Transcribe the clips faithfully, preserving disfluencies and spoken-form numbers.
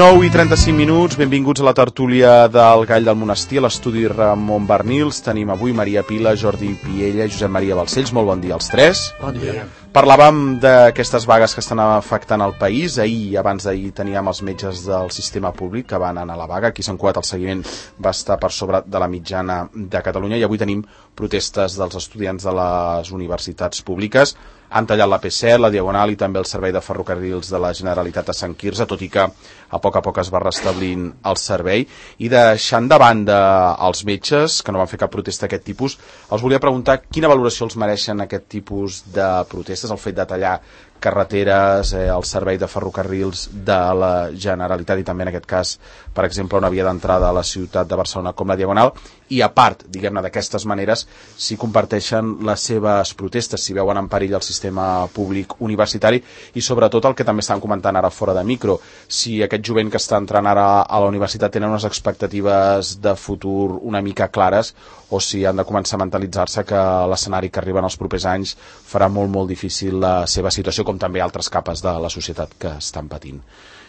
nou i trenta-cinc minuts, benvinguts a la tertúlia del Gall del Monestir, a l'estudi Ramon Bernils. Tenim avui Maria Pila, Jordi Piella i Josep Maria Balcells. Molt bon dia als tres. Bon dia. Parlàvem d'aquestes vagues que estan afectant el país. Ahir, abans d'ahir, teníem els metges del sistema públic que van anar a la vaga. Aquí Sant Cugat el seguiment va estar per sobre de la mitjana de Catalunya i avui tenim protestes dels estudiants de les universitats públiques. Han tallat l'A P set, la Diagonal i també el servei de ferrocarrils de la Generalitat a Sant Quirze, tot i que a poc a poc es va restablint el servei. I deixant de banda els metges, que no van fer cap protesta d'aquest tipus, els volia preguntar quina valoració els mereixen aquest tipus de protestes, el fet de tallar carreteres, eh, el servei de ferrocarrils de la Generalitat i també en aquest cas, per exemple, una via d'entrada a la ciutat de Barcelona com la Diagonal, i a part, diguem-ne, d'aquestes maneres, si comparteixen les seves protestes, si veuen en perill el sistema públic universitari i sobretot el que també estan comentant ara fora de micro, si aquest jovent que està entrant ara a la universitat tenen unes expectatives de futur una mica clares o si han de començar a mentalitzar-se que l'escenari que arriben els propers anys farà molt, molt difícil la seva situació, com també altres capes de la societat que estan patint.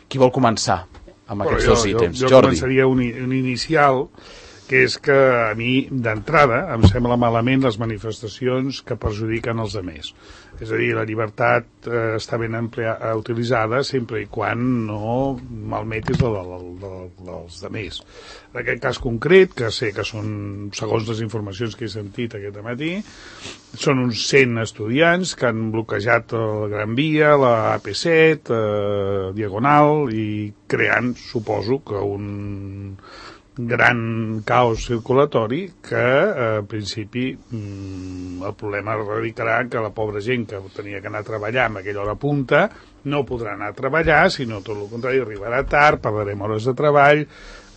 Qui vol començar amb aquests jo, dos ítems? Jo, jo Jordi. començaria un, un inicial, que és que a mi, d'entrada, em sembla malament les manifestacions que perjudiquen els altres. És a dir, la llibertat eh, està ben emplea, utilitzada sempre i quan no malmetis la de, de, de, dels altres. En aquest cas concret, que sé que són, segons les informacions que he sentit aquest matí, són uns cent estudiants que han bloquejat la Gran Via, la A P set, eh, Diagonal, i creant, suposo, que un gran caos circulatori que, eh, en principi, mm, el problema radicarà que la pobra gent que tenia que anar a treballar amb aquella hora punta no podrà anar a treballar, sinó tot el contrari, arribarà tard, perdrem hores de treball,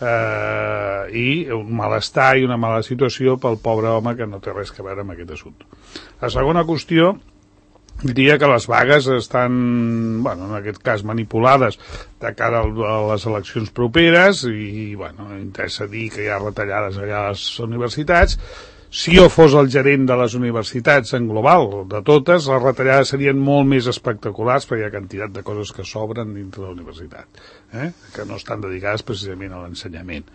eh, i un malestar i una mala situació pel pobre home que no té res a veure amb aquest assumpte. La segona qüestió, diria que les vagues estan, bueno, en aquest cas manipulades de cara a les eleccions properes i, bueno, interessa dir que hi ha retallades allà a les universitats. Si jo fos el gerent de les universitats en global, de totes, les retallades serien molt més espectaculars perquè hi ha quantitat de coses que s'obren dintre de la universitat, eh? que no estan dedicades precisament a l'ensenyament.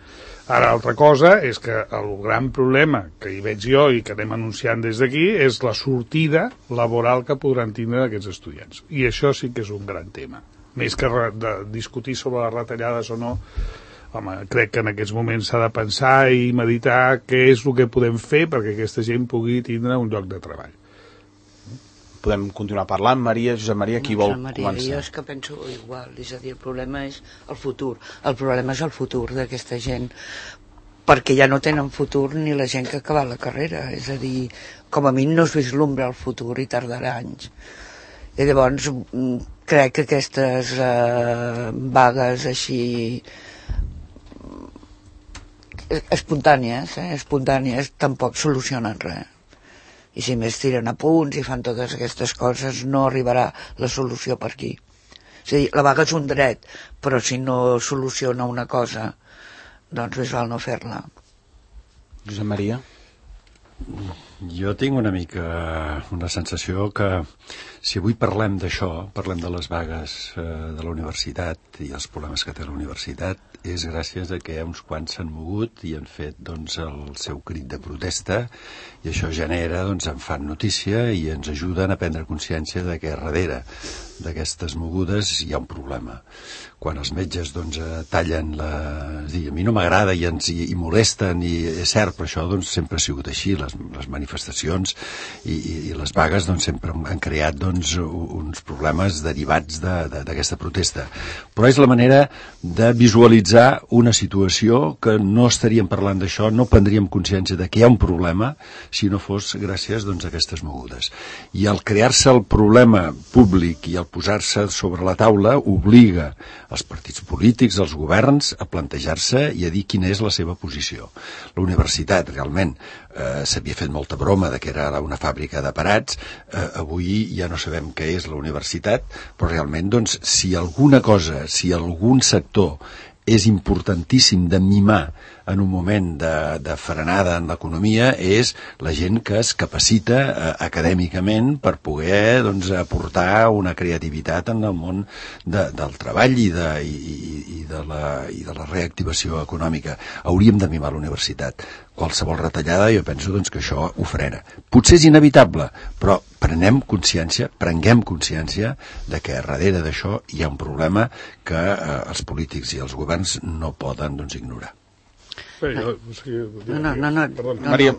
Ara, altra cosa és que el gran problema que hi veig jo i que anem anunciant des d'aquí és la sortida laboral que podran tindre aquests estudiants. I això sí que és un gran tema. Més que de discutir sobre les retallades o no, home, crec que en aquests moments s'ha de pensar i meditar què és el que podem fer perquè aquesta gent pugui tindre un lloc de treball. Podem continuar parlant. Maria, Josep Maria, qui vol Maria, començar? Jo és que penso igual, és a dir, el problema és el futur. El problema és el futur d'aquesta gent, perquè ja no tenen futur ni la gent que ha acabat la carrera. És a dir, com a mi no es vislumbra el futur i tardarà anys. I llavors crec que aquestes eh, vagues així espontànies, eh, espontànies tampoc solucionen res. I si més tiren a punts i fan totes aquestes coses, no arribarà la solució per aquí. És a dir, la vaga és un dret, però si no soluciona una cosa, doncs més val no fer-la. Josep Maria? Jo tinc una mica una sensació que si avui parlem d'això, parlem de les vagues eh, de la universitat i els problemes que té la universitat, és gràcies a que uns quants s'han mogut i han fet doncs, el seu crit de protesta i això genera, doncs, en fan notícia i ens ajuden a prendre consciència de que darrere d'aquestes mogudes hi ha un problema. Quan els metges doncs, tallen la... Dir, a mi no m'agrada i ens i, i molesten i és cert, però això doncs, sempre ha sigut així, les, les manifestacions i, i, i les vagues doncs, sempre han creat doncs, uns problemes derivats d'aquesta de, de, protesta. Però és la manera de visualitzar una situació que no estaríem parlant d'això, no prendríem consciència de que hi ha un problema si no fos gràcies doncs, a aquestes mogudes. I al crear-se el problema públic i al posar-se sobre la taula obliga els partits polítics, els governs, a plantejar-se i a dir quina és la seva posició. La universitat, realment, eh, s'havia fet molta broma de que era una fàbrica de parats, eh, avui ja no sabem què és la universitat, però realment, doncs, si alguna cosa, si algun sector és importantíssim de mimar en un moment de, de frenada en l'economia és la gent que es capacita eh, acadèmicament per poder doncs, aportar una creativitat en el món de, del treball i de, i, i, de la, i de la reactivació econòmica. Hauríem de mimar la universitat. Qualsevol retallada jo penso doncs, que això ho frena. Potser és inevitable, però prenem consciència, prenguem consciència de que darrere d'això hi ha un problema que eh, els polítics i els governs no poden doncs, ignorar. No, no, no, no, no, no,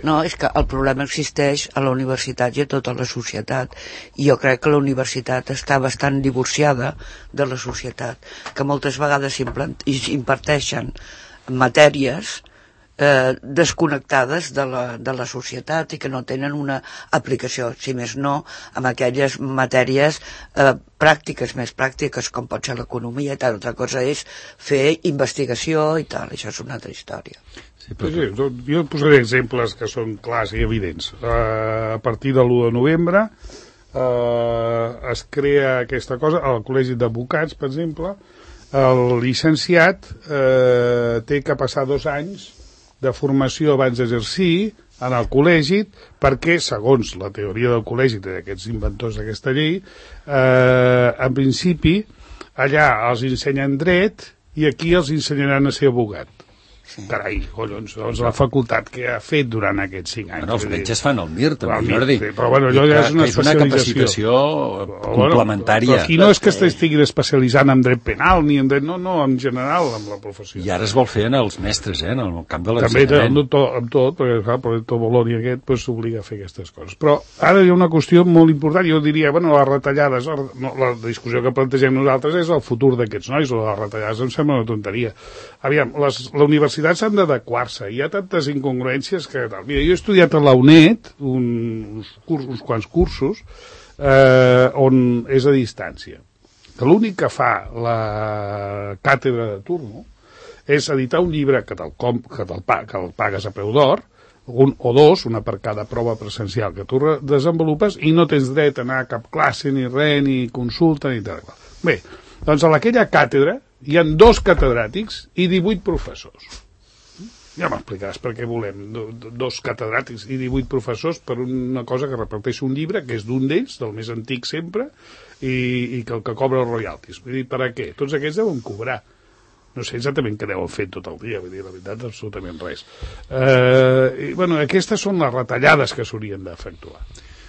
no, és que el problema existeix a la universitat i a tota la societat, i jo crec que la universitat està bastant divorciada de la societat, que moltes vegades imparteixen matèries eh, desconnectades de la, de la societat i que no tenen una aplicació, si més no, amb aquelles matèries eh, pràctiques, més pràctiques, com pot ser l'economia i tal. Altra cosa és fer investigació i tal, això és una altra història. Sí, però... sí, sí, jo posaré exemples que són clars i evidents. Uh, a partir de l'u de novembre uh, es crea aquesta cosa, al Col·legi d'Advocats, per exemple, el llicenciat uh, té que passar dos anys de formació abans d'exercir en el col·legi, perquè, segons la teoria del col·legi d'aquests inventors d'aquesta llei, eh, en principi, allà els ensenyen dret i aquí els ensenyaran a ser abogat. Sí. Carai, collons, doncs la facultat que ha fet durant aquests cinc anys. Bueno, els metges fan el Mir, també, Mir, Jordi. Sí, però bueno, allò ja és una és una capacitació complementària. Però aquí no és que estiguin especialitzant en dret penal, ni en dret, no, no, en general, amb la professió. I ara es vol fer en els mestres, eh, en el camp de l'ensenyament. També amb tot, amb tot perquè clar, per tot Boloni aquest pues, s'obliga a fer aquestes coses. Però ara hi ha una qüestió molt important, jo diria, bueno, les retallades, no, la discussió que plantegem nosaltres és el futur d'aquests nois, o les retallades em sembla una tonteria. Aviam, les, la universitat s'han d'adequar-se, hi ha tantes incongruències que tal. Mira, jo he estudiat a la UNED un, uns, curs, uns quants cursos eh, on és a distància. Que l'únic que fa la càtedra de turno és editar un llibre que te'l, com, que te'l, que el pagues a preu d'or, un o dos, una per cada prova presencial que tu desenvolupes, i no tens dret a anar a cap classe, ni res, ni consulta, ni tal. Bé, doncs a aquella càtedra hi ha dos catedràtics i divuit professors. Ja m'explicaràs per què volem do, do, dos catedràtics i divuit professors per una cosa que reparteix un llibre, que és d'un d'ells, del més antic sempre, i, i que el que cobra els royalties. Vull dir, per a què? Tots aquests deuen cobrar. No sé exactament què deuen fer tot el dia, vull dir, la veritat, absolutament res. Eh, i, bueno, aquestes són les retallades que s'haurien d'efectuar.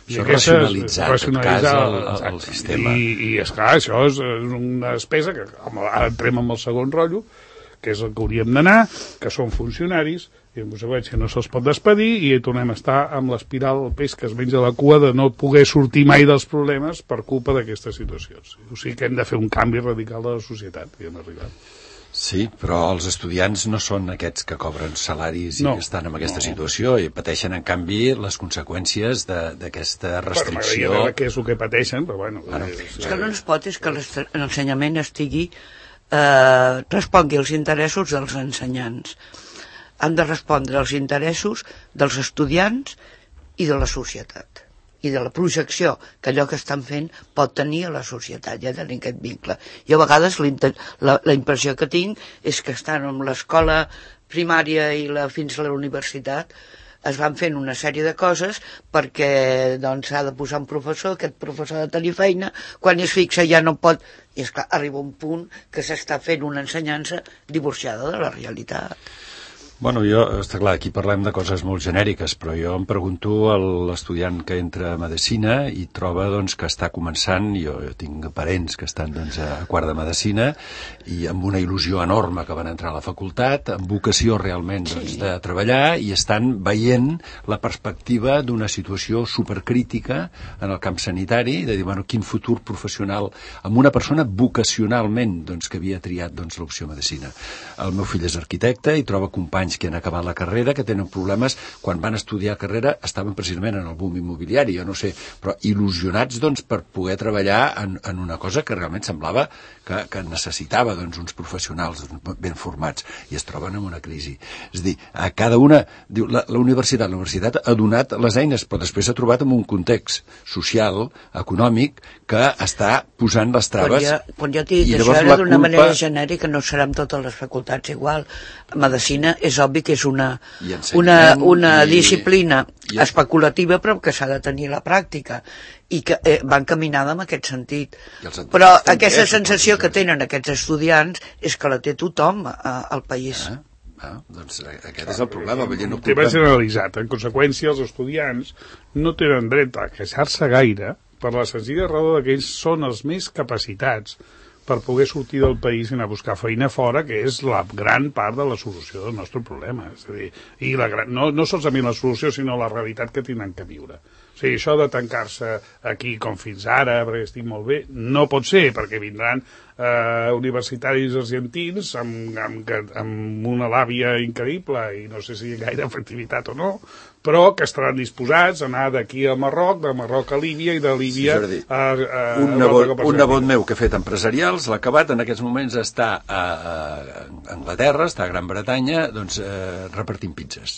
Això és racionalitzar, racionalitzar en tot cas, el, el sistema. I, i esclar, això és una despesa que ara entrem amb el segon rotllo, que és el que hauríem d'anar, que són funcionaris, i en conseqüència no se'ls pot despedir, i tornem a estar amb l'espiral del peix que es menja la cua de no poder sortir mai dels problemes per culpa d'aquestes situacions. O sigui que hem de fer un canvi radical de la societat, que hem arribat. Sí, però els estudiants no són aquests que cobren salaris i no, que estan en aquesta no. situació i pateixen, en canvi, les conseqüències d'aquesta restricció. Bueno, què és el que pateixen, però bueno... bueno és, és que no es pot, és que l'ensenyament estigui... Eh, respongui als interessos dels ensenyants. Han de respondre als interessos dels estudiants i de la societat. I de la projecció que allò que estan fent pot tenir a la societat, ja tenir aquest vincle. I a vegades la, la impressió que tinc és que estan amb l'escola primària i la, fins a la universitat es van fent una sèrie de coses perquè doncs s'ha de posar un professor, aquest professor ha de tenir feina, quan es fixa ja no pot, i esclar, arriba un punt que s'està fent una ensenyança divorciada de la realitat. Bueno, jo, està clar, aquí parlem de coses molt genèriques, però jo em pregunto a l'estudiant que entra a Medicina i troba doncs, que està començant, jo, jo tinc parents que estan doncs, a quart de Medicina i amb una il·lusió enorme que van entrar a la facultat, amb vocació realment doncs, de treballar i estan veient la perspectiva d'una situació supercrítica en el camp sanitari, de dir, bueno, quin futur professional amb una persona vocacionalment doncs, que havia triat doncs, l'opció Medicina. El meu fill és arquitecte i troba companys anys que han acabat la carrera, que tenen problemes, quan van estudiar carrera estaven precisament en el boom immobiliari, jo no sé, però il·lusionats doncs, per poder treballar en, en una cosa que realment semblava que, que necessitava doncs, uns professionals ben formats, i es troben en una crisi. És a dir, a cada una, diu, la, la universitat, la universitat ha donat les eines, però després s'ha trobat en un context social, econòmic, que està posant les traves. Quan jo, quan jo t'he dit això era d'una culpa... manera genèrica, no serà amb totes les facultats igual. Medicina és obvi que és una, una, una i... disciplina i... especulativa, però que s'ha de tenir la pràctica, i que eh, van caminada en aquest sentit. Però aquesta sensació que tenen aquests estudiants és que la té tothom eh, al país. Ah. Ah, doncs aquest és el problema. El no tema generalitzat. En conseqüència, els estudiants no tenen dret a queixar-se gaire per la senzilla raó que ells són els més capacitats per poder sortir del país i anar a buscar feina fora, que és la gran part de la solució del nostre problema. És a dir, i la gran, no, no solament la solució, sinó la realitat que tenen que viure. O sigui, això de tancar-se aquí com fins ara, perquè estic molt bé, no pot ser, perquè vindran eh, universitaris argentins amb, amb, amb una làbia increïble i no sé si gaire efectivitat o no, però que estaran disposats a anar d'aquí a Marroc, de Marroc a Líbia i de Líbia sí, a, a, un, nebot, un nebot meu que ha fet empresarials, l'ha acabat, en aquests moments està a, a Anglaterra, està a Gran Bretanya, doncs eh, repartint pizzas.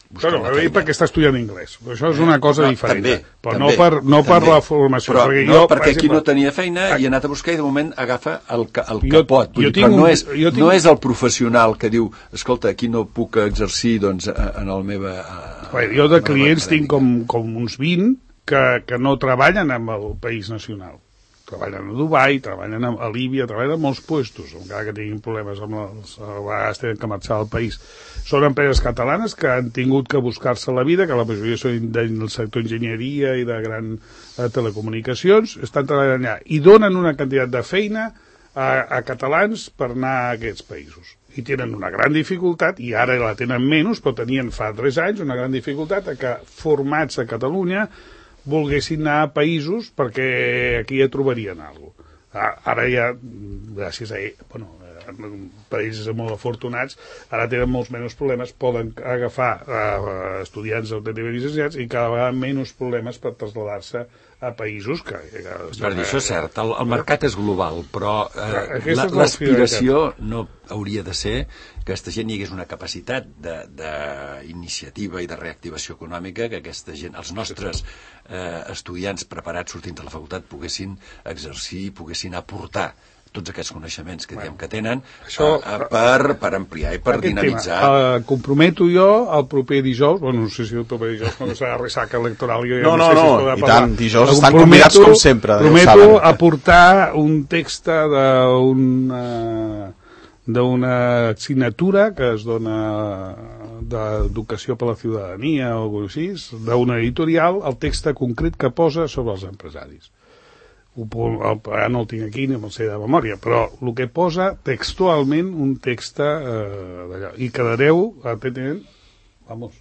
Bueno, perquè està estudiant anglès. Això és una cosa no, diferent. També, però també, no per, no per la formació. Però perquè no, jo, perquè per aquí exemple, no tenia feina i ha anat a buscar i de moment agafa el que, el que jo, pot. Vull jo dir, però un, no, és, tinc... no és el professional que diu, escolta, aquí no puc exercir doncs, en el meva... Bé, jo de clients tinc com, com uns vint que, que no treballen amb el país nacional. Treballen a Dubai, treballen a Líbia, treballen a molts puestos, encara que tinguin problemes amb els... A vegades tenen que marxar del país. Són empreses catalanes que han tingut que buscar-se la vida, que la majoria són del sector enginyeria i de gran eh, telecomunicacions, estan treballant allà i donen una quantitat de feina a, a catalans per anar a aquests països. I tenen una gran dificultat, i ara la tenen menys, però tenien fa tres anys una gran dificultat a que formats a Catalunya volguessin anar a països perquè aquí ja trobarien alguna cosa. Ara ja, gràcies a ell, bueno, països molt afortunats, ara tenen molts menys problemes, poden agafar uh, estudiants autènticament llicenciats i cada vegada menys problemes per traslladar-se a països que... que per dir, això és cert, el, el mercat és global, però eh, l'aspiració no hauria de ser que aquesta gent hi hagués una capacitat d'iniciativa i de reactivació econòmica, que aquesta gent, els nostres eh, estudiants preparats sortint de la facultat poguessin exercir, poguessin aportar tots aquests coneixements que diem que tenen això, a, a, per, per ampliar i per dinamitzar. Uh, comprometo jo el proper dijous, bueno, no sé si el proper dijous, no serà ressaca electoral, jo ja no, no, no sé no, si es podrà i parlar. tant, dijous estan convidats com sempre. Prometo aportar un text d'una d'una assignatura que es dona d'educació per la ciutadania o alguna cosa així, d'una editorial, el text concret que posa sobre els empresaris. Ara no el tinc aquí ni me'l sé de memòria, però el que posa textualment un text eh, d'allò. I quedareu atentament, vamos,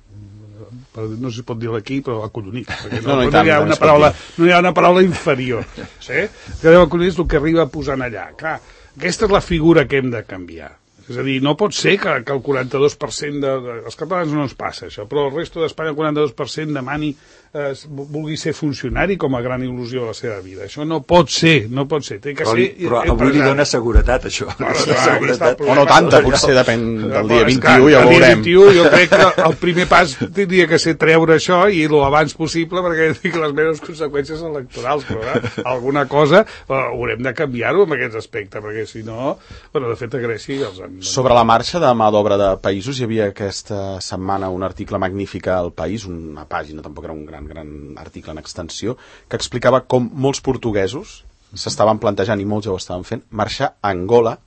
no sé si pot dir aquí, però acollonit, perquè no, no, no, tant, hi ha una paraula, no hi ha una paraula inferior. Sí? Quedareu acollonits el que arriba posant allà. Clar, aquesta és la figura que hem de canviar. És a dir, no pot ser que, que el quaranta-dos per cent de, de... Els catalans no ens passa això, però el resto d'Espanya el quaranta-dos per cent demani eh, vulgui ser funcionari com a gran il·lusió de la seva vida. Això no pot ser, no pot ser. Té que però, ser però avui li dona seguretat, això. No, no, seguretat. O no tanta, potser depèn del dia vint-i-u, ja ho veurem. El dia vint-i-u jo crec que el primer pas tindria que ser treure això i l'abans possible, perquè dic les meves conseqüències electorals, però eh, alguna cosa eh, haurem de canviar-ho en aquest aspecte, perquè si no, bueno, de fet a Grècia els han... Sobre la marxa de mà d'obra de països, hi havia aquesta setmana un article magnífic al País, una pàgina, tampoc era un gran, gran article en extensió, que explicava com molts portuguesos s'estaven plantejant, i molts ja ho estaven fent, marxar a Angola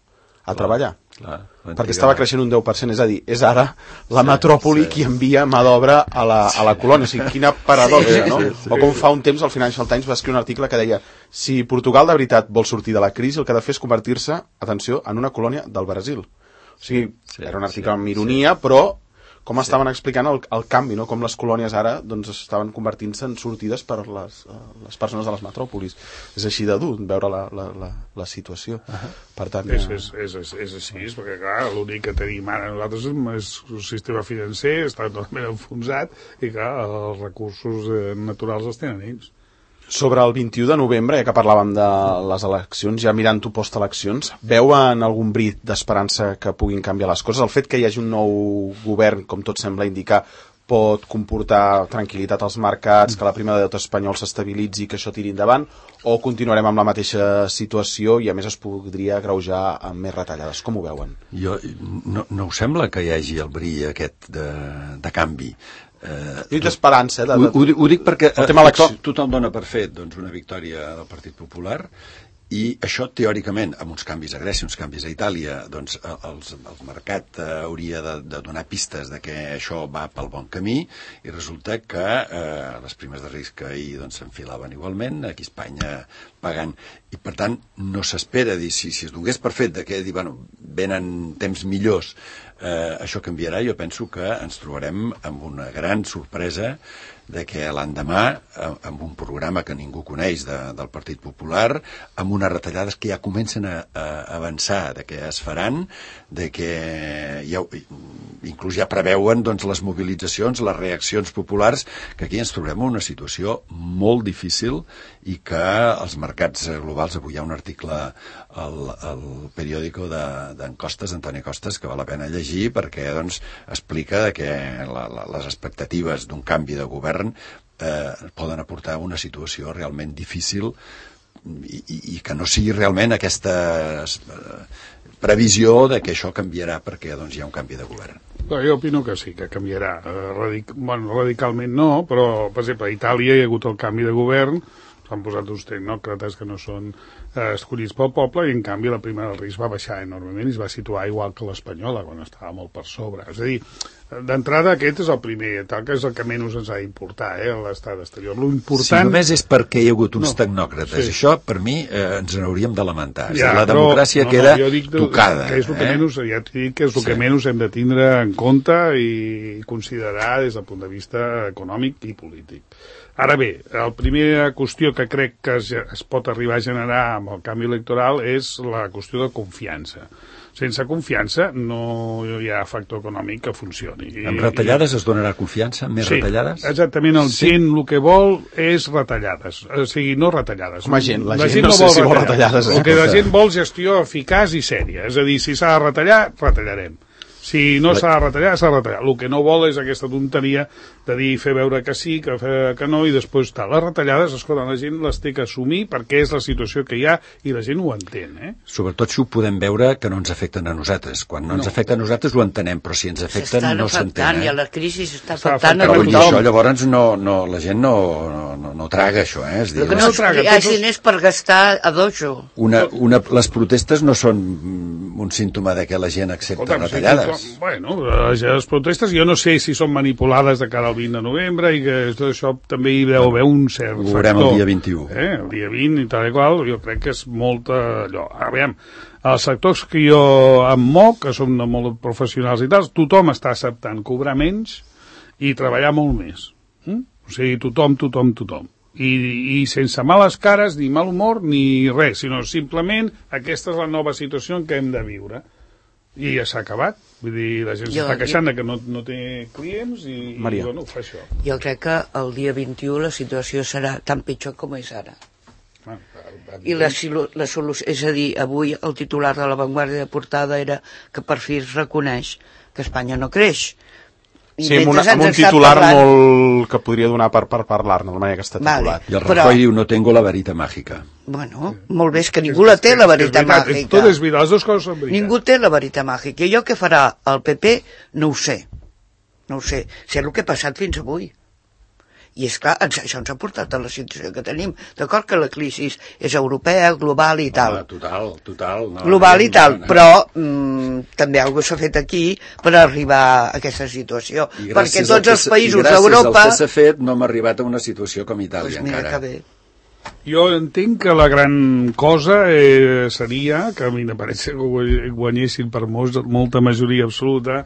a treballar. Clar, perquè estava creixent un deu per cent, és a dir, és ara la sí, metròpoli sí. qui envia mà d'obra a, la, a la colònia. O sigui, quina paradoxa, sí, no? Sí, sí. O com fa un temps el Financial Times va escriure un article que deia si Portugal de veritat vol sortir de la crisi, el que ha de fer és convertir-se, atenció, en una colònia del Brasil. O sigui, sí, era un article sí, amb ironia, sí. però com estaven explicant el, el canvi, no? Com les colònies ara doncs, estaven convertint-se en sortides per les, les persones de les metròpolis. És així de dur veure la, la, la, la situació. Uh-huh. Per tant, és, és, és, és, és així, perquè clar, l'únic que tenim ara nosaltres és un sistema financer, està totalment enfonsat i clar, els recursos naturals els tenen ells. Sobre el vint-i-u de novembre, ja que parlàvem de les eleccions, ja mirant-ho post-eleccions, veuen algun brit d'esperança que puguin canviar les coses? El fet que hi hagi un nou govern, com tot sembla indicar, pot comportar tranquil·litat als mercats, que la prima de deute espanyol s'estabilitzi, que això tiri endavant, o continuarem amb la mateixa situació i a més es podria agreujar amb més retallades? Com ho veuen? Jo, no, no us sembla que hi hagi el bri aquest de, de canvi? Uh, dic d'esperança. De, de... Ho, ho, ho dic perquè el tema tothom, tothom dona per fet doncs, una victòria del Partit Popular i això teòricament, amb uns canvis a Grècia, uns canvis a Itàlia, doncs els, el mercat eh, hauria de, de donar pistes de que això va pel bon camí i resulta que eh, les primes de risc ahir doncs, s'enfilaven igualment, aquí a Espanya pagant, i per tant no s'espera dir, si, si es donés per fet de que dir, bueno, venen temps millors, eh, això canviarà. Jo penso que ens trobarem amb una gran sorpresa de que l'endemà, amb un programa que ningú coneix de, del Partit Popular, amb unes retallades que ja comencen a, a avançar, de que es faran, de que ja, inclús ja preveuen doncs, les mobilitzacions, les reaccions populars, que aquí ens trobem en una situació molt difícil i que els mercats globals, avui hi ha un article al, al periòdico d'Encostes, d'Antoni Costes, que val la pena llegir perquè doncs, explica que la, la, les expectatives d'un canvi de govern eh, poden aportar una situació realment difícil i, i, i que no sigui realment aquesta eh, previsió de que això canviarà perquè doncs, hi ha un canvi de govern. No, jo opino que sí, que canviarà. Radic... Bueno, radicalment no, però, per exemple, a Itàlia hi ha hagut el canvi de govern, s'han posat uns tecnòcrates que no són eh, escollits pel poble i, en canvi, la prima del risc va baixar enormement i es va situar igual que l'espanyola, quan estava molt per sobre. És a dir, d'entrada aquest és el primer, tal que és el que menys ens ha d'importar, eh, l'estat exterior. L'important... Si només és perquè hi ha hagut uns no, tecnòcrates, sí. Això, per mi, eh, ens n'hauríem de lamentar. Ja, la democràcia però, queda no, no, dic, tocada. Que és el que eh? menys, ja t'he dit que és el sí. que menys hem de tindre en compte i considerar des del punt de vista econòmic i polític. Ara bé, la primera qüestió que crec que es, es pot arribar a generar amb el canvi electoral és la qüestió de confiança. Sense confiança no hi ha factor econòmic que funcioni. Amb retallades es donarà confiança? Més sí, retallades? Exactament, el sí. gent el que vol és retallades, o sigui, no retallades. Com a gent, la, la gent, gent no, no sé vol si vol retallades. retallades. El que la gent vol gestió eficaç i sèria, és a dir, si s'ha de retallar, retallarem. Si no s'ha de retallar, s'ha de retallar. El que no vol és aquesta tonteria de dir, fer veure que sí, que, que no, i després tal. Les retallades, escolta, la gent les té que assumir perquè és la situació que hi ha i la gent ho entén, eh? Sobretot si ho podem veure que no ens afecten a nosaltres. Quan no, no. ens afecta a nosaltres ho entenem, però si ens afecten no s'entén. Eh? I la crisi s'està afectant a tothom. tothom. I això llavors no, no, la gent no, no, no, no traga això, eh? És dir, el que no traga, hi ha diners per gastar a dojo. Una, una, les protestes no són un símptoma de que la gent accepta Escolta, retallades. Si bueno, les protestes jo no sé si són manipulades de cara al vint de novembre i que tot això també hi deu haver un cert factor. Ho veurem el dia vint-i-u. Eh? El dia vint i tal i qual, jo crec que és molta allò. Ara, veiem, els sectors que jo em moc, que són molt professionals i tal, tothom està acceptant cobrar menys i treballar molt més. Mm? O sigui, tothom, tothom, tothom. I, i sense males cares, ni mal humor, ni res, sinó simplement aquesta és la nova situació en què hem de viure. I ja s'ha acabat. Vull dir, la gent s'està queixant que no, no té clients i, i bueno, fa això. Jo crec que el dia vint-i-u la situació serà tan pitjor com és ara. Ah, I la, la solució, és a dir, avui el titular de la Vanguardia de portada era que per fi es reconeix que Espanya no creix. I sí, amb, una, amb un titular parlant... molt que podria donar per, per parlar-ne, la manera que està titulat. Vale, I el Rajoy però... diu, no tengo la varita màgica. Bueno, molt bé, és que ningú la té, la varita màgica. Tot és veritat, les dues coses són veritat. Ningú té la varita màgica. I allò que farà el P P, no ho sé. No ho sé. Sé el que ha passat fins avui. I és clar, ens, això ens ha portat a la situació que tenim. D'acord que la crisi és europea, global i tal. Ah, total, total. No, global i tal, no, no. Però mm, també alguna cosa s'ha fet aquí per arribar a aquesta situació. Perquè tots els països d'Europa... I gràcies al que s'ha fet no hem arribat a una situació com Itàlia pues mira encara. Que bé. Jo entenc que la gran cosa eh, seria que a mi m'apareix que guanyessin per molta majoria absoluta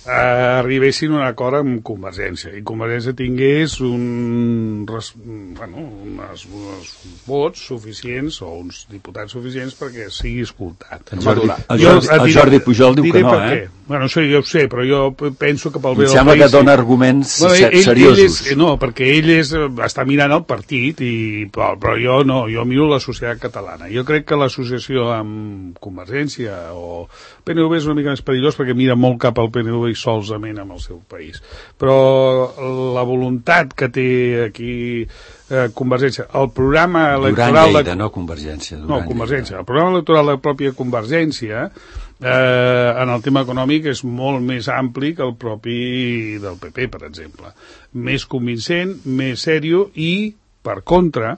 eh, arribessin a un acord amb Convergència i Convergència tingués un, bueno, unes, uns vots suficients o uns diputats suficients perquè sigui escoltat. El Jordi, el Jordi, el Jordi Pujol diu que no, eh? Bueno, això ja ho sé, però jo penso que pel bé del país... Em sembla que dona arguments bueno, ell, seriosos. Ell és, no, perquè ell és, està mirant el partit, i, però, però jo no, jo miro la societat catalana. Jo crec que l'associació amb Convergència o P N V és una mica més perillós perquè mira molt cap al P N V i solament amb el seu país. Però la voluntat que té aquí eh, Convergència, el programa electoral... Duran Lleida, de... no Convergència. Duran no, Convergència. El programa electoral de la pròpia Convergència eh, en el tema econòmic és molt més ampli que el propi del P P, per exemple. Més convincent, més sèrio i, per contra,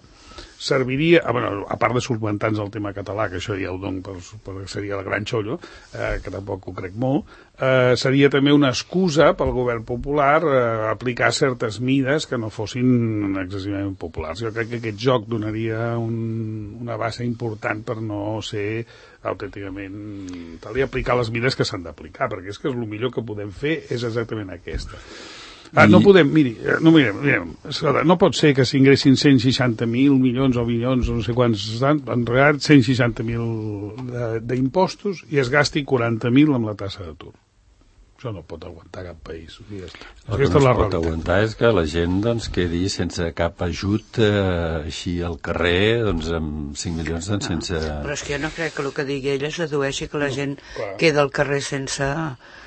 serviria, a, bueno, a part de solventar-nos el tema català, que això ja ho dono per, per seria el gran xollo, eh, que tampoc ho crec molt, eh, seria també una excusa pel govern popular eh, aplicar certes mides que no fossin excessivament populars. Jo crec que aquest joc donaria un, una base important per no ser autènticament tal i aplicar les mides que s'han d'aplicar, perquè és que és el millor que podem fer és exactament aquesta. Ah, no podem, miri, no, mirem, mirem, no pot ser que s'ingressin cent seixanta mil milions o milions, no sé quants estan, en realitat cent seixanta mil d'impostos i es gasti quaranta mil amb la tassa d'atur. Això no pot aguantar cap país. El que no es pot aguantar és que la gent doncs, quedi sense cap ajut eh, així al carrer doncs, amb cinc milions doncs, sense... No, però és que jo no crec que el que digui ella es dedueixi que la gent no, queda al carrer sense...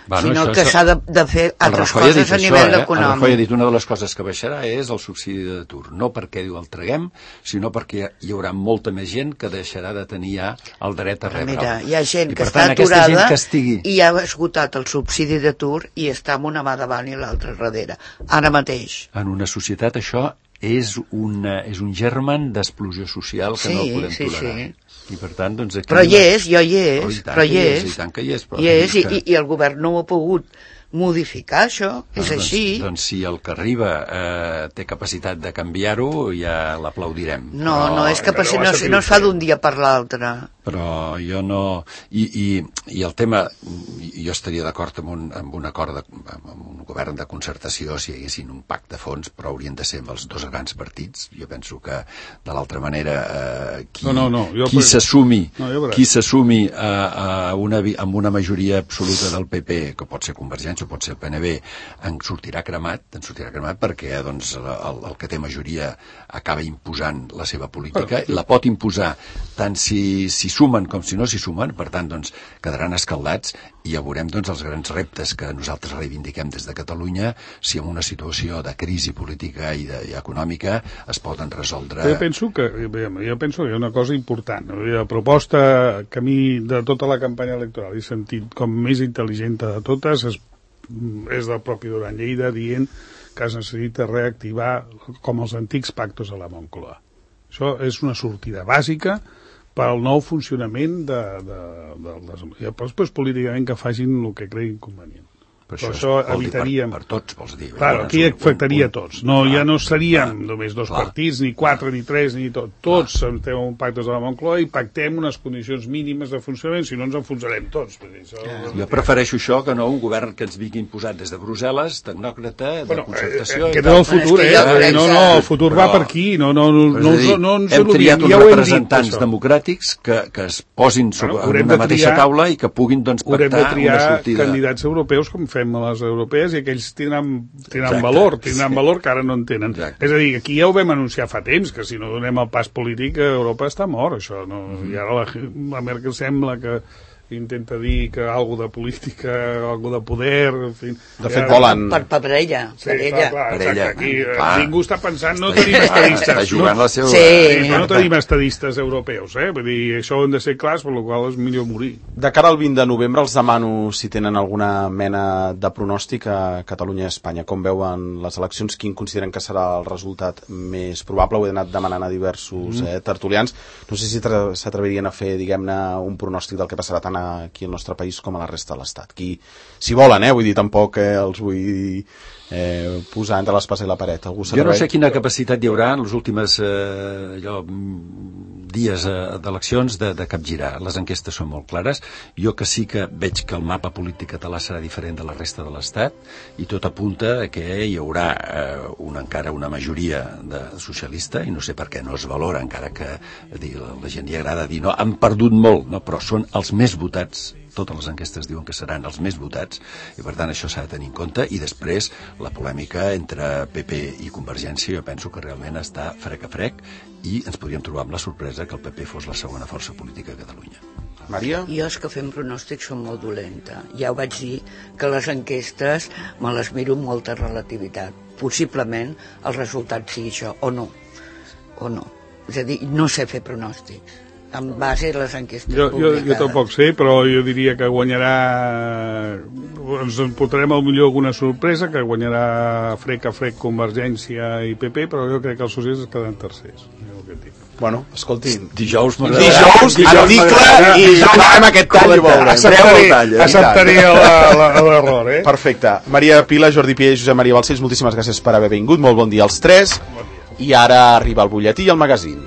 Bueno, sinó que s'ha de, de fer altres coses a nivell eh? econòmic. El Rajoy ha dit una de les coses que baixarà és el subsidi d'atur. No perquè diu el traguem, sinó perquè hi haurà molta més gent que deixarà de tenir ja el dret a rebre. Mira, hi ha gent I, que està tant, aturada que estigui... i ha esgotat el subsidi d'atur i està amb una mà davant i l'altra darrere. Ara mateix. En una societat això és, una, és un germen d'explosió social que sí, no podem sí, tolerar. Sí. I per tant, doncs aquí... Però hi és, jo hi és, oh, i però hi és, i tant que hi és, però hi és i, i, i el govern no ho ha pogut modificar, això, és doncs, així. Doncs si el que arriba eh, té capacitat de canviar-ho, ja l'aplaudirem. No, però... no, és capacitat, no, no es fa d'un dia per l'altre. Però jo no... I, i, i el tema, jo estaria d'acord amb, un, amb un acord, de, amb un govern de concertació si hi haguessin un pacte de fons, però haurien de ser amb els dos grans partits. Jo penso que, de l'altra manera, eh, qui, no, no, no, qui s'assumi no, qui s'assumi a, a una, amb una majoria absoluta del P P, que pot ser Convergència o pot ser el P N V, en sortirà cremat, en sortirà cremat perquè doncs, el, el que té majoria acaba imposant la seva política, la pot imposar tant si, si sumen com si no s'hi sumen, per tant doncs, quedaran escaldats i ja veurem doncs, els grans reptes que nosaltres reivindiquem des de Catalunya, si en una situació de crisi política i, de, i econòmica es poden resoldre... Jo penso que, jo penso que hi ha una cosa important. La proposta que a mi de tota la campanya electoral he sentit com més intel·ligent de totes és, és del propi Duran Lleida dient que es necessita reactivar com els antics pactos a la Moncloa. Això és una sortida bàsica per al nou funcionament de, de, de, de, de, però després políticament que facin el que creguin convenient. Però això, això evitaríem... Per, per tots, vols dir. Clar, aquí afectaria a tots. No, ja no seríem només dos clar. partits, ni quatre, ni tres, ni tot. Tots estem en pactes de la Moncloa i pactem unes condicions mínimes de funcionament, si no ens enfonsarem tots. Dir, això... ja. Jo prefereixo això que no un govern que ens vingui imposat des de Brussel·les, tecnòcrata, de bueno, concertació... Aquest és el futur, eh? eh? No, no, el futur però, va per aquí. No, no, no, no, dir, no, no hem triat uns ja representants dit, democràtics que, que es posin sobre bueno, una mateixa triar, taula i que puguin doncs, pactar una sortida. Haurem de triar candidats europeus com fem a les europees i aquells tindran, tindran Exacte, valor, tindran sí. valor que ara no en tenen. Exacte. És a dir, aquí ja ho vam anunciar fa temps, que si no donem el pas polític, Europa està mort, això. No? Mm-hmm. I ara la, la Merkel sembla que intenta dir que algo de política, algo de poder, en fi... De fet, volen... Per, per, per ella. Sí, per ella. Clar, clar, per ella. Aquí clar. ningú està pensant, no tenim estadistes. Està jugant no, la seva... Sí. sí, no tenim estadistes europeus, eh? Vull dir, això ho hem de ser clars, per la qual és millor morir. De cara al vint de novembre, els demano si tenen alguna mena de pronòstic a Catalunya i Espanya. Com veuen les eleccions? Quin consideren que serà el resultat més probable? Ho he anat demanant a diversos mm. eh, tertulians. No sé si s'atrevirien a fer, diguem-ne, un pronòstic del que passarà tant aquí al nostre país com a la resta de l'Estat. Qui, si volen, eh, vull dir, tampoc eh, els vull eh, posar entre l'espasa i la paret. Algú jo no sé quina capacitat hi haurà en les últimes eh, allò, dies eh, d'eleccions de, de capgirar. Les enquestes són molt clares. Jo que sí que veig que el mapa polític català serà diferent de la resta de l'Estat i tot apunta que hi haurà eh, una, encara una majoria de socialista i no sé per què no es valora, encara que dir, la, la gent li agrada dir no, han perdut molt, no, però són els més votats. Totes les enquestes diuen que seran els més votats i per tant això s'ha de tenir en compte. I després la polèmica entre P P i Convergència jo penso que realment està frec a frec i ens podríem trobar amb la sorpresa que el P P fos la segona força política a Catalunya. Maria? Jo és que fem pronòstics són molt dolenta. Ja ho vaig dir que les enquestes me les miro amb molta relativitat. Possiblement el resultat sigui això, o no. O no. És a dir, no sé fer pronòstics en base a les enquestes jo, jo, publicades. jo tampoc sé, però jo diria que guanyarà, ens en portarem al millor alguna sorpresa, que guanyarà frec a frec Convergència i P P, però jo crec que els socialistes quedaran tercers. Bueno, escolti, dijous m'agradarà. Dijous, article i ja farem aquest tall i veurem. Acceptaré, acceptaré l'error, eh? Perfecte. Maria Pila, Jordi Pié i Josep Maria Balcells, moltíssimes gràcies per haver vingut. Molt bon dia als tres. I ara arriba el butlletí i el magazín.